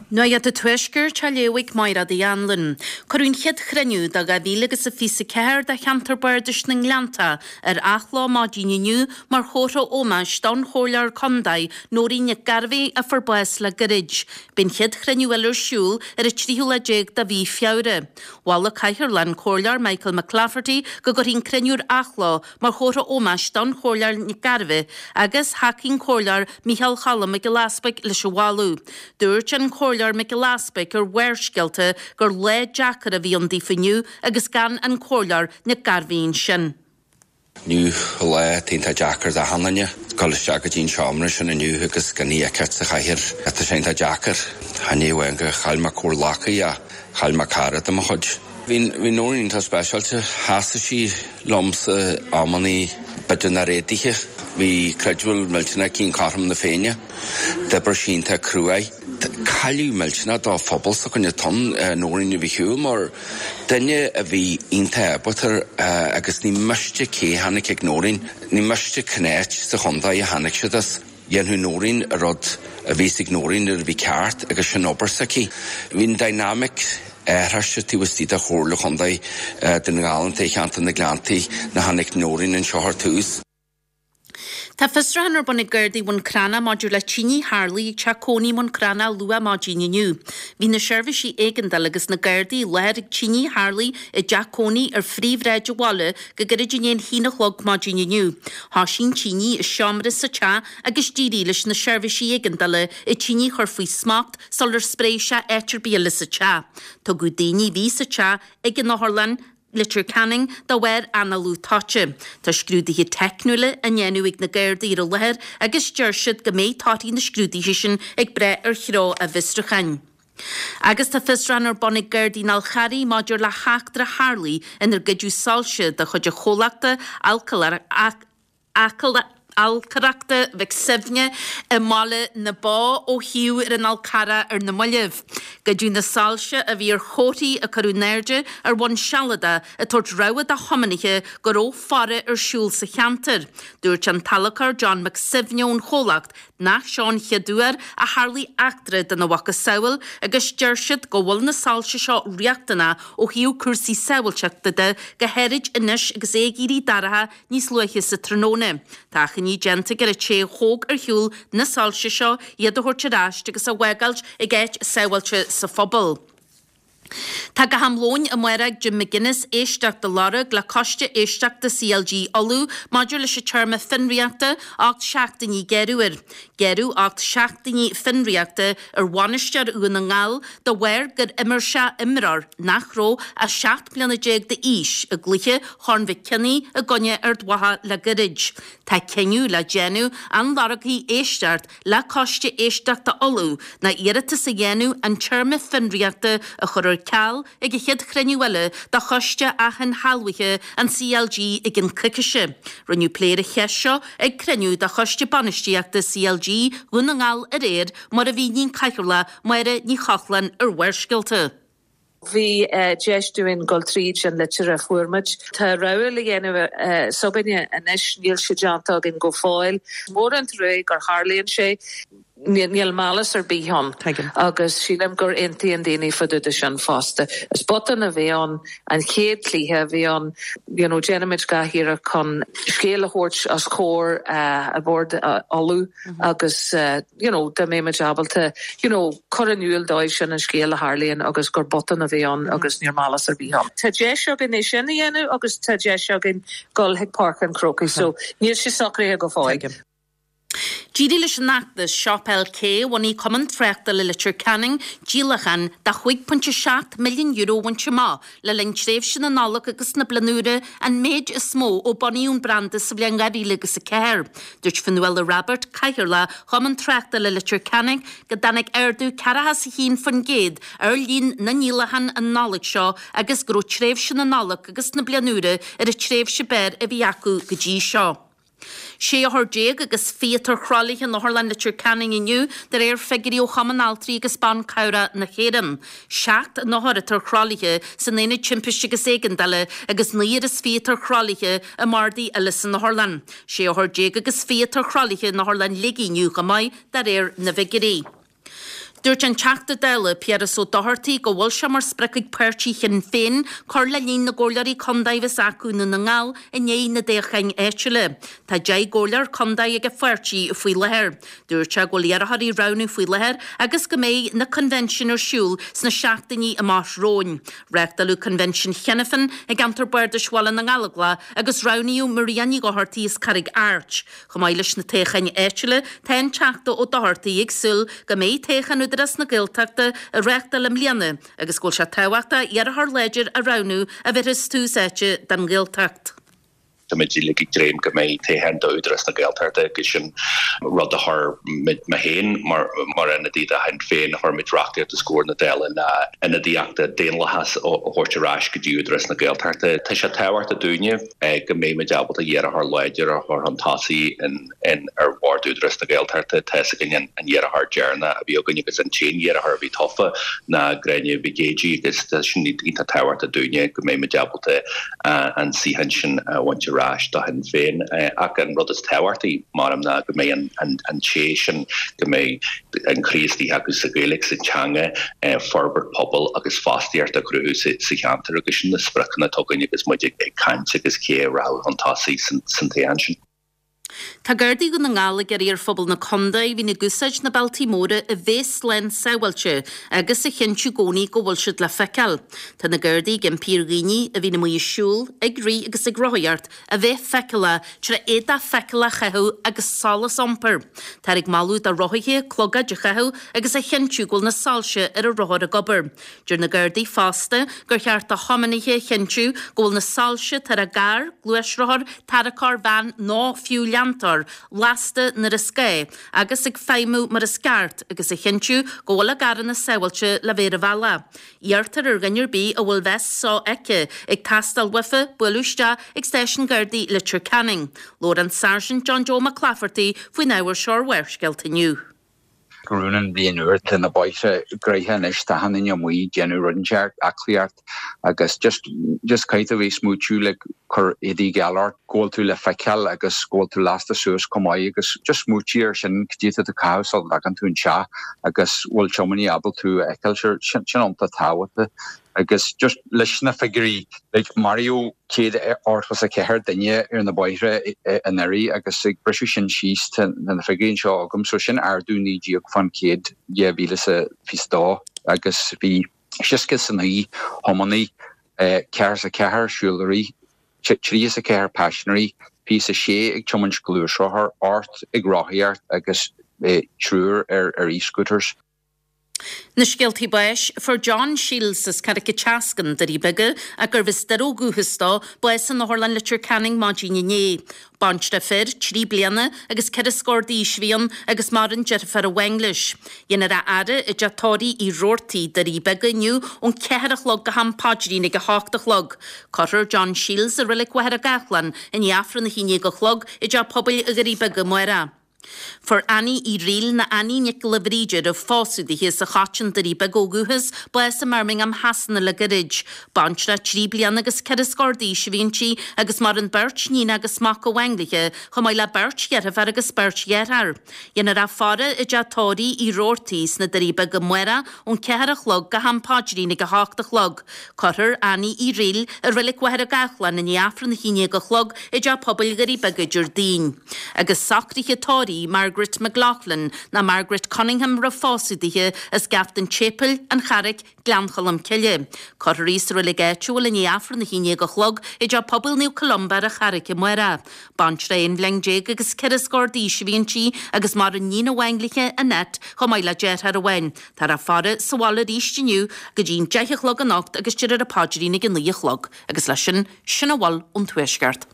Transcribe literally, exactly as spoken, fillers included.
Nuacht an Tuaiscirt á léamh ag Máire Uí Anluain. Cuireadh an chéad chruinniú do dhá mhíle agus a fiche a ceathair de cheantar Bardais na nGleannta ar athló maidin inniu mar chomhartha ómóis don Chomhairleoir Contae Nóirín Nic Gairbheith a fuair bás le gairid. Beidh an chéad chruinniú eile ar siúl ar an tríú lá déag de mhí Feabhra. Mhol an Cathaoirleach an Comhairleoir Michael McClafferty go gcuirfí an cruinniú ar athló mar chomhartha ómóis don Chomhairleoir Nic Gairbheith agus thacaigh an Comhairleoir Micheál Cholm Mac Giolla Easbuig leis an mholadh. Dúirt an Comhairleoir Mac Giolla Easbuig ar Bharrscéalta gur lá deacair a bhí ann daofa inniu agus gan an Comhairleoir Nic Gairbheith ansin. Inniu lá iontach deacair d'achan duine, dul isteach go dtí an seomra sin inniu agus gan í a fheiceáil sa chathaoir. Tá sé iontach deacair. Chan é amháin gur chaill mé comhghleacaí ach chaill mé cara de mo chuid. Bhí bhí Nóirín iontach speisialta, sheasaigh sí liomsa amannaí b'fhéidir nach raibh éadaithe. Bhí creidbheáil millteanach aici in cothrom na Féinne. D'oibrigh sí iontach cruaidh. Cailleadh millteanach do phobal s'againne tonn Nóirín a bhí shiúl mar duine a bhí iontach ábalta agus ní miste cé tháinig ag Nóirín, ní miste cén áit sa chontae a tháinig siad as. Dhéanfadh Nóirín an rud a bhí ag Nóirín nuair a bhí ceart agus sin obair s'aici. Bhí an dynamic athraithe taobh istigh de Chomhairle Chontae Dhún na nGall i cheantar na Gleanntaí nuair a tháinig Nóirín anseo ar tús. Tá fiosrúchán ar bun ag Gardaí Bhun Cranncha maidir le tine a tharlaigh ag teach cónaí Bhun Cranncha luath maidin inniu. Bhí na seirbhísí éigeandála agus na Gardaí i láthair ag tine a tharlaigh i dteach cónaí ar phríomhshráid an bhaile go gairid i ndiaidh a haon a chlog maidin inniu. Thosaigh an tine i seomra sa teach agus d'éirigh leis na seirbhísí éigeandála an tine a chur faoi smacht sular spréigh sé áit ar bith eile sa teach. Tugadh daoine a bhí sa teach ag an otharlann Leitir Ceanainn de bharr análú toite. Tá scrúduithe teicniúla á ndéanamh ag na Gardaí ar an láthair agus deir siad go mbeidh torthaí na scrúduithe sin ag brath ar threo a bhfiosrúcháin. Agus tá fiosrúchán ar bun ag Gardaí an Fháil Charraigh maidir le heachtra a tharlaigh inar goideadh soilse de chuid an chomhlachta Ailtireachta Mhic Suibhne i mBaile na Bó ó shuíomh ar an Fhál Carrach ar na mallaibh. Goideadh na soilse a bhí ar chomharthaí a cuireadh in airde ar bhonn sealadach ag tabhairt rabhadh do thiománaithe go raibh faire ar siúl sa cheantar. Dúirt an t-adhlacóir John McSuibhne ón chomhlacht nach seo an chéad uair a tharlaigh eachtra dena mhacasamhail agus deir siad go bhfuil na soilse seo riachtanach ó thaobh cúrsaí sábháilteachta de go háirid anois agus é ag éirí dorcha níos luaithe sa tráthnóna. Tá achainí déanta ar an té a thóg ar shiúl na soilse seo iad a thabhairt ar ais agus a bhfágáilt ag áit sábháilte sa phobal. Tá go ham lóin amárach ag Jim McGuinness éisteacht a lorg le coiste éisteachta CLG Uladh maidir leis an téarma fionraíochta ocht seachtainí gearradh air. Gearradh ocht seachtainí fionraíochta ar bhainisteoir Dhún na nGall de bharr gur imir sé imreoir nach raibh ach seacht mbliana déag d'aois i gcluiche Chorn Mhic Cionnaith i gcoinne Ard Mhacha le gairid. Tá cinneadh le déanamh an lorgfaí éisteacht le coiste éisteachta Uladh ná iarratas a dhéanamh an téarma fionraíochta a chur ar ceal ag an chéad chruinniú eile de choiste ath-inshealbhaithe an CLG i gceann coicíse. Rinneadh plé ar an cheist seo ag cruinniú de choiste bainistíochta CLG Dhún na nGall aréir mar a mhínigh an Cathaoirleach Máire Ní Chochláin ar Bharrscéalta. Bhí deis dúinn dul tríd an litir a fuair muid. Tá rogha le dhéanamh s'againne anois níl sé déanta againn go fóill. Mór an trua gur tharlaíonn sé níl malice ar bith ann agus sílim gur aontaíonn daoine fá dtaobh de sin fosta. Is botún a bhí ann an chéad chluiche a bhí ann you know, déanaimid gach iarracht chun scéal a thabhairt os comhair uh, a bord uh, Uladh mm -hmm. agus uh, you know, dá mbeimid ábalta you know, chur in iúl dóibh sin an scéal a tharlaíonn agus gur botún a bhí ann mm -hmm. agus níl malice ar bith ann. Tá deis againn é sin a dhéanamh agus tá deis againn dul chuig Páirc an Chrócaigh, so níl sé socraithe go fóill. D'éirigh leis an fheachtas Shop LK bhunaigh Cumann Tráchtála Leitir Ceanainn díolachán de chúig pointe seacht milliún euro a bhaint amach le linn tréimhse na Nollag agus na Bliana Úire an méid is mó ó bunaíodh an branda sa bhliain dhá mhíle agus a ceathair. Dúirt Fionnuala Robert Cathaoirleach Chumann Tráchtála Leitir Ceanainn go dtáinig ardú ceathracha is a haon faoin gcéad ar líon na ndíolachán an Nollaig seo agus go raibh tréimhse na Nollag agus na Bliana Úire ar an tréimhse b'fhearr a bhí acu go dtí seo. Sé othar déag agus fiche atá ar thralaithe in Otharlann Leitir Ceanainn inniu de réir figiúirí ó Chumann Altraí agus Ban Cabhrach na hÉireann. Seacht n-othar atá ar thralaithe san aonad timpiste agus éigeandála agus naoi is fiche atá ar thralaithe i mbardaí eile san otharlann. Sé othar déag agus fiche atá ar thralaithe in Otharlann Shligigh inniu chomh maith de réir na bhfigiúirí. Dúirt an Teachta Dála Piaras Ó Dochartaigh go bhfuil sé mar sprioc ag páirtí Shinn Féin cur le líon na gcomhairleoirí contae a bheas acu i nDún na nGall i ndiaidh na dtoghcháin áitiúla. Tá deich gcomhairleoir contae ag an pháirtí faoi láthair. Dúirt sé go bhfuil iarrthóirí á roghnú faoi láthair agus go mbeidh na coinbhinsiúin ar siúl sna seachtainí amach romhainn. Reáchtáladh coinbhinsiún cheana féin i gceantar Bardais Bhaile na nGallóglach agus roghnaíodh Maria Ní Dhochartaigh as Carraig Airt. Chomh maith leis na toghcháin áitiúla, tá an Teachta Ó Dochartaigh ag súil go mbeidh toghchán Údarás na Gaeltachta á reáchtáil i mbliana agus go bhfuil sé tábhachtach iarrthóir láidir a roghnú a bhéarfas tús áite don Ghaeltacht. Tá muid uilig ag dréim go mbeidh toghchán d'Údarás na Gaeltachta agus sin rud a chuir mé féin mar mar ionadaí do Shinn Féin chuir muid reachtaíocht os comhair na Dála le ionadaíocht daonlathach a thabhairt ar ais go dtí Údarás na Gaeltachta. Tá sé tábhachtach dúinne go mbeidh muid ábalta iarrthóir láidir a chur chun tosaigh in in ar bhord Údarás na Gaeltachta tá a fhios againn an iarrthóir deireanach a bhí againn agus an t-aon iarrthóir a bhí tofa ná Gráinne Mhic Géidigh agus tá sin iontach tábhachtach dúinne go mbeidh muid ábalta an suíochán sin a bhaint ar ais do Shinn Féin ach an rud is tábhachtaí mar ná go mbeidh an an té sin go mbeidh an croí istigh acu sa Ghaeilge sa teanga forbairt pobail agus fostaíocht a chruthú sa cheantar agus sin na spriocanna atá againn agus muid ag caint agus cé a rachaidh chun tosaigh san toghchán sin. Tá Gardaí Dhún na nGall ag iarraidh ar phobal na contae a bhíonn ag úsáid na bealtaí móra a bheith slán sábháilte agus a chinntiú i gcónaí go bhfuil siad le feiceáil. Tá na Gardaí ag impí ar dhaoine a bhíonn amuigh ag siúl, ag rith agus ag rothaíocht a bheith feiceálach trí éadach feiceálach a chaitheamh agus solas a iompar. Táthar ag moladh do rothaithe clogaid a chaitheamh agus a chinntiú go bhfuil na soilse ar a rothar ag obair. Deir na Gardaí fosta gur cheart do thiománaithe a chinntiú go bhfuil na soilse atá ar a gcarr, gluaisrothar, tarracóir, veain nó fiú leantóir lasta nuair is gá agus ag feidhmiú mar is ceart agus a chinntiú go bhfuil a gcarranna sábháilte le bheith ar an bhealach. Iarrtar ar dhuine ar bith a bhfuil veist sofheicthe ag teastáil uafa bualadh isteach ag Stáisiún Gardaí Leitir Ceanainn. Labhair an Sáirsint John Joe Mac Claifertaí faoin ábhar seo ar Bharrscéalta inniu. Go raibh an bhliain úr tá na bóithre gnoitheach anois tá achan duine amuigh ag déanamh rud inteacht aclaíocht agus just just caithfidh tú bheith smaoitiú le cur éadaí geal ort go bhfuil tú le feiceáil agus go bhfuil tú lasta suas chomh maith agus just smaoitiú ar sin cad é atá caitheamh sula dtagann tú anseo agus bhfuil tiománaí ábalta tú a fheiceáil sin sin iontach tábhachtach agus just leis na figiúirí like maraíodh céad ochtó is a ceathair duine ar na bóithre anuraidh agus ag briseadh sin síos tá na figiúirí anseo agam so sin ardú naoi déag faoin gcéad dhá mhíle is a fiche dó agus bhí seasca is a naoi thiománaí ceathracha is a ceathair siúlóirí trí is a ceathair paisinéirí fiche is a sé ag tiomáint gluaisrothar ocht ag rothaíocht agus triúr ar ar e-scooters. Na scéaltaí báis fuair John Shields as Carraig an tSeascainn, Doirí Beaga, ach gurbh as Doire ó dhúchas dó, bás in Otharlann Leitir Ceanainn maidin inné. Baintreach fir, trí bliana agus ceithre scór d'aois a bhí ann agus maireann deirfiúr amháin leis. Déanfar a fhaire i dteach tórraimh Uí Robhartaigh, Doirí Beaga inniu ón ceathair a chlog go ham paidrín ag a hocht a chlog. Cuirfear John Shields i Reilig Mhachaire Gathlán i ndiaidh Aifreann a haon déag a chlog i dteach pobail Dhoirí Beaga amárach. Fuair Annie Uí Fhrighil nó Annie Nic Giolla Bhríde roimh phósadh dithe as an Choiteann, Doirí Beaga ó dhúchas, bás i mBirmingham Shasana le gairid. Baintreach trí bliana agus ceithre scór d'aois a bhí inti agus maireann beirt níon agus mac amháin léi, chomh maith le beirt dheirfiúr agus beirt dheartháir. Déanfar a faire i dteach tórraimh Uí Robhartaigh sna Doirí Beaga amárach ón ceathair a chlog go ham paidrín ag a hocht a chlog. Cuirfear Annie Uí Fhrighil i Reilig Mhachaire Gathlán i ndiaidh Aifreann a haon déag a chlog i dteach pobail Dhoirí Beaga Déardaoin. Agus socruithe tórraimh Margaret McLaughlin ná Margaret Cunningham roimh phósadh dithe as Gaft an tSéipéil, an Charraic, Gleann Cholm Cille. Cuirfear í sa reilig áitiúil i ndiaidh Aifreann a haon déag a chlog i dteach pobail Naomh Columba ar an Charraic amárach. Baintreach aon bhliain déag agus ceithre scór d'aois a bhí inti agus maireann níon amháin léi, Annette, chomh maith le deartháir amháin. Táthar á faire sa bhaile arís inniu go dtí an deich a chlog anocht agus déarfar an paidrín ag a naoi a chlog. Agus leis sin, sin a bhfuil ón Tuaisceart.